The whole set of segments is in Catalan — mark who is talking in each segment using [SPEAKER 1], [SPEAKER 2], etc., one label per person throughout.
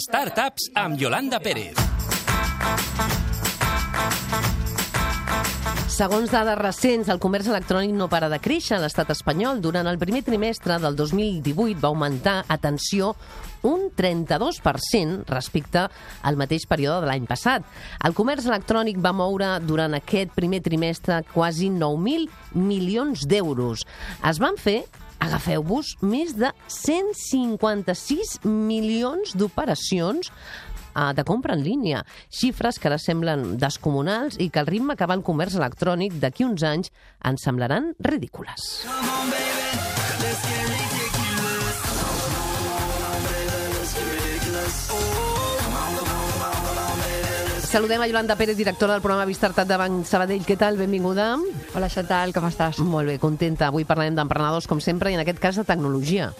[SPEAKER 1] Startups amb Yolanda Pérez.
[SPEAKER 2] Segons dades recents, el comerç electrònic no para de créixer a l'estat espanyol. Durant el primer trimestre del 2018 va augmentar, atenció, un 32% respecte al mateix període de l'any passat. El comerç electrònic va moure durant aquest primer trimestre quasi 9.000 milions d'euros. Es van fer, agafeu-vos, més de 156 milions d'operacions de compra en línia. Xifres que ara semblen descomunals i que al ritme que va el comerç electrònic d'aquí uns anys ens semblaran ridícules. Saludem a Yolanda Pérez, directora del programa Bistartat de Banc Sabadell. Què tal? Benvinguda.
[SPEAKER 3] Hola, Chantal, com estàs?
[SPEAKER 2] Molt bé, contenta. Avui parlarem d'emprenedors, com sempre, i en aquest cas de tecnologia.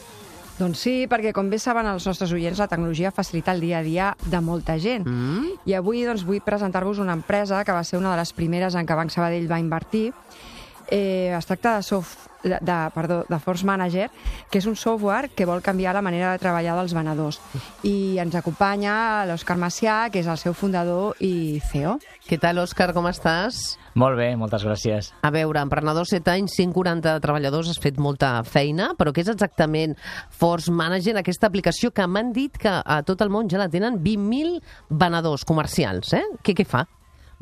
[SPEAKER 3] Doncs sí, perquè com bé saben els nostres oients, la tecnologia facilita el dia a dia de molta gent. I avui doncs, vull presentar-vos una empresa que va ser una de les primeres en què Banc Sabadell va invertir. Es tracta de Force Manager, que és un software que vol canviar la manera de treballar dels venedors. I ens acompanya l'Òscar Macià, que és el seu fundador i CEO.
[SPEAKER 2] Què tal, Òscar, com estàs?
[SPEAKER 4] Molt bé, moltes gràcies.
[SPEAKER 2] A veure, emprenedor, 7 anys, 140 treballadors, has fet molta feina, però què és exactament Force Manager, aquesta aplicació que m'han dit que a tot el món ja la tenen 20.000 venedors comercials, Què fa?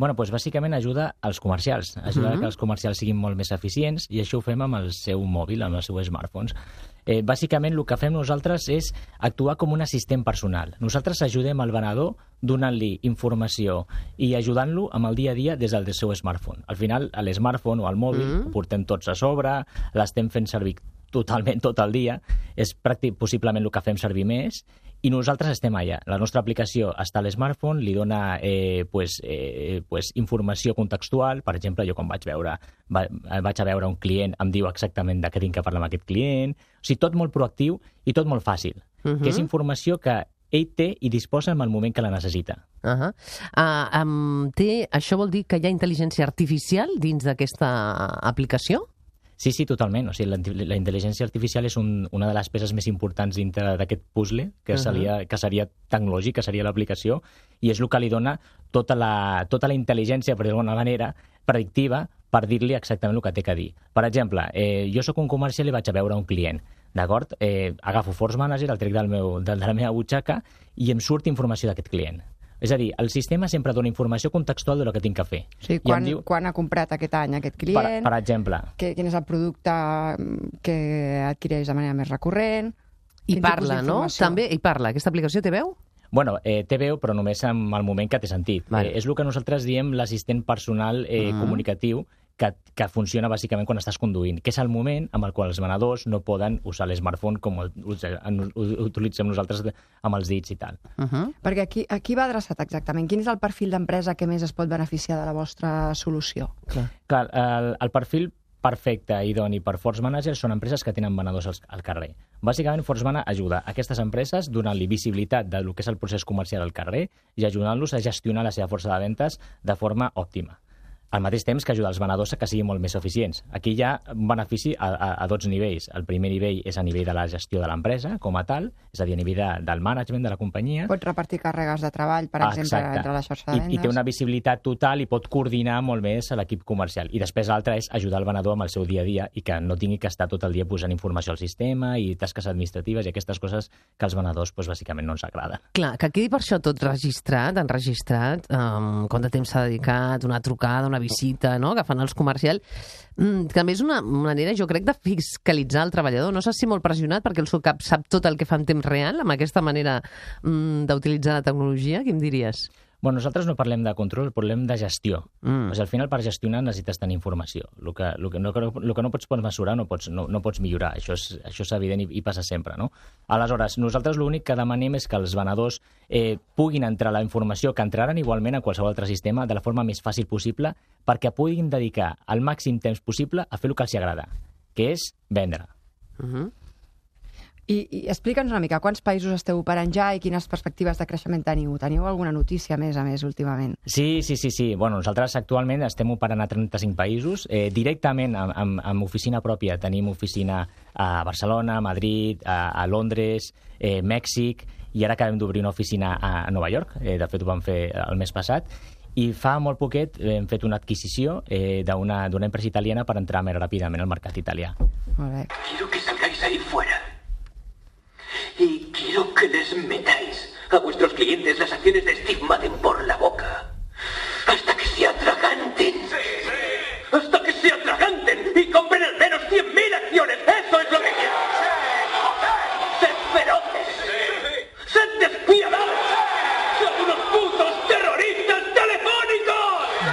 [SPEAKER 4] Bueno, doncs bàsicament ajuda als comercials, ajuda que els comercials siguin molt més eficients, i això ho fem amb el seu mòbil, amb els seus smartphones. Bàsicament el que fem nosaltres és actuar com un assistent personal. Nosaltres ajudem al venedor donant-li informació i ajudant-lo amb el dia a dia des del seu smartphone. Al final, l'smartphone o el mòbil ho portem tots a sobre, l'estem fent servir totalment tot el dia, és possiblement el que fem servir més, i nosaltres estem allà. La nostra aplicació està a l'smartphone, li dona informació contextual. Per exemple, jo quan vaig a veure un client, em diu exactament de què tinc que parlar amb aquest client. O sigui, tot molt proactiu i tot molt fàcil, que és informació que ell té i disposa en el moment que la necessita.
[SPEAKER 2] Això vol dir que hi ha intel·ligència artificial dins d'aquesta aplicació?
[SPEAKER 4] Sí, totalment. O sigui, la intel·ligència artificial és una de les peces més importants dintre d'aquest puzzle, que seria tecnològic, que seria l'aplicació, i és el que li dona tota la intel·ligència, per d'alguna manera, predictiva, per dir-li exactament el que té que dir. Per exemple, jo sóc un comercial i vaig a veure un client, d'acord? Agafo Force Manager, el trec de la meva butxaca, i em surt informació d'aquest client. És a dir, el sistema sempre dona informació contextual del que tinc que fer.
[SPEAKER 3] Sí, quan ha comprat aquest any aquest client,
[SPEAKER 4] per exemple.
[SPEAKER 3] Quin és el producte que adquireix de manera més recurrent.
[SPEAKER 2] I parla, no? També, i parla. Aquesta aplicació té veu?
[SPEAKER 4] Bueno, té veu, però només en el moment que té sentit. És el que nosaltres diem l'assistent personal comunicatiu, que funciona bàsicament quan estàs conduint, que és el moment amb el qual els venedors no poden usar l'smartphone com ho utilitzem nosaltres amb els dits i tal.
[SPEAKER 3] Perquè aquí va adreçat exactament? Quin és el perfil d'empresa que més es pot beneficiar de la vostra solució?
[SPEAKER 4] Clar, el perfil perfecte i idoni per Force Manager són empreses que tenen venedors al carrer. Bàsicament, Force Manager ajuda a aquestes empreses donant-li visibilitat del que és el procés comercial al carrer i ajudant-los a gestionar la seva força de ventes de forma òptima. Al mateix temps que ajuda els venedors a que siguin molt més eficients. Aquí hi ha un benefici a dos nivells. El primer nivell és a nivell de la gestió de l'empresa, com a tal, és a dir, a nivell del management de la companyia.
[SPEAKER 3] Pot repartir càrregues de treball, per exemple, entre la xarxa de vendes.
[SPEAKER 4] I té una visibilitat total i pot coordinar molt més a l'equip comercial. I després l'altre és ajudar el venedor amb el seu dia a dia i que no tingui que estar tot el dia posant informació al sistema i tasques administratives i aquestes coses que als venedors bàsicament no ens agraden.
[SPEAKER 2] Clar, que quedi per això tot registrat, quant de temps s'ha dedicat, una trucada, una visita, no?, que fan els comercials. També és una manera, jo crec, de fiscalitzar el treballador. No sé si molt pressionat perquè el seu cap sap tot el que fa en temps real amb aquesta manera d'utilitzar la tecnologia. Què em diries?
[SPEAKER 4] Bueno, nosaltres no parlem de control, parlem de gestió. O sigui, al final, per gestionar necessites tenir informació. El que no pots mesurar no pots millorar. Això és evident i passa sempre, no? Aleshores, nosaltres l'únic que demanem és que els venedors puguin entrar la informació, que entraran igualment a qualsevol altre sistema de la forma més fàcil possible, perquè puguin dedicar el màxim temps possible a fer el que els agrada, que és vendre.
[SPEAKER 3] I explica'ns una mica, quants països esteu operant ja i quines perspectives de creixement teniu? Teniu alguna notícia a més últimament?
[SPEAKER 4] Sí. Bueno, nosaltres actualment estem operant a 35 països. Directament amb oficina pròpia tenim oficina a Barcelona, a Madrid, a Londres, Mèxic, i ara acabem d'obrir una oficina a Nova York, de fet ho vam fer el mes passat, i fa molt poquet hem fet una adquisició d'una empresa italiana per entrar més ràpidament al mercat italià.
[SPEAKER 3] Molt bé.
[SPEAKER 5] Quiero que salgáis ahí fuera. Y quiero que les metáis a vuestros clientes las acciones de Steve Madden por la boca. Hasta que se atraganten. Hasta que se atraganten y compren al menos 100.000 acciones. Eso es lo que quiero. Sed feroces. Sed despiadados. Son unos putos terroristas telefónicos.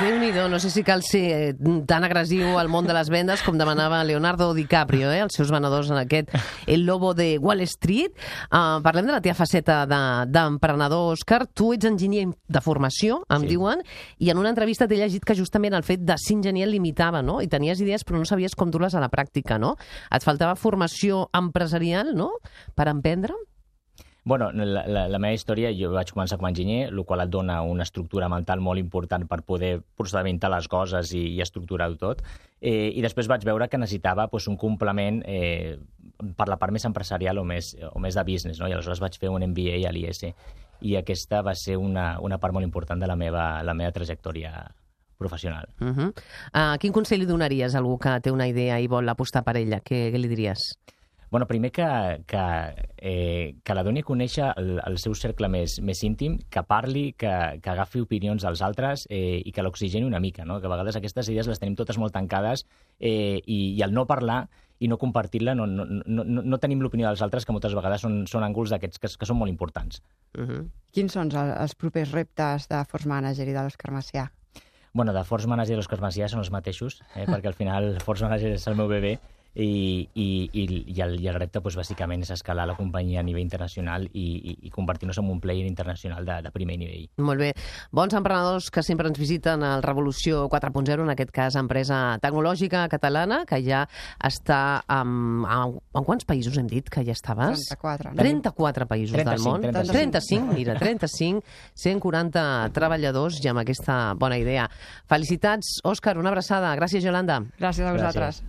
[SPEAKER 2] Déu-n'hi-do, no sé si cal ser tan agressiu al món de les vendes com demanava Leonardo DiCaprio, els seus venedors en aquest El Lobo de Wall Street. Parlem de la teva faceta d'emprenedor, Òscar. Tu ets enginyer de formació, em diuen, i en una entrevista t'he llegit que justament el fet de ser enginyer et limitava, no? I tenies idees però no sabies com dur-les a la pràctica, no? Et faltava formació empresarial, no?, per emprendre?
[SPEAKER 4] Bueno, la meva història, jo vaig començar com a enginyer, el qual et dona una estructura mental molt important per poder procedimentar les coses i estructurar-ho tot. I després vaig veure que necessitava un complement per la part més empresarial o més de business, no? I aleshores vaig fer un MBA a l'IS. I aquesta va ser una part molt important de la meva trajectòria professional.
[SPEAKER 2] Quin consell li donaries a algú que té una idea i vol apostar per ella? Què li diries?
[SPEAKER 4] Bueno, primer que la doni a conèixer el seu cercle més íntim, que parli, que agafi opinions dels altres i que l'oxigeni una mica, no? Que a vegades aquestes idees les tenim totes molt tancades i al no parlar i no compartir-la no tenim l'opinió dels altres, que moltes vegades són ànguls d'aquests que són molt importants.
[SPEAKER 3] Quins són els propers reptes de Force Manager i de l'Òscar Macià?
[SPEAKER 4] Bueno, de Force Manager i l'Òscar Macià són els mateixos, perquè al final Force Manager és el meu bebè, i el repte bàsicament és escalar la companyia a nivell internacional i convertir-nos en un player internacional de primer nivell.
[SPEAKER 2] Molt bé. Bons emprenedors que sempre ens visiten al Revolució 4.0, en aquest cas empresa tecnològica catalana, que ja està en quants països hem dit que ja estaves?
[SPEAKER 3] 34.
[SPEAKER 2] 34 països del món.
[SPEAKER 4] 35.
[SPEAKER 2] Mira, 35, 140 treballadors i amb aquesta bona idea. Felicitats, Òscar, una abraçada. Gràcies, Yolanda.
[SPEAKER 3] Gràcies a vosaltres.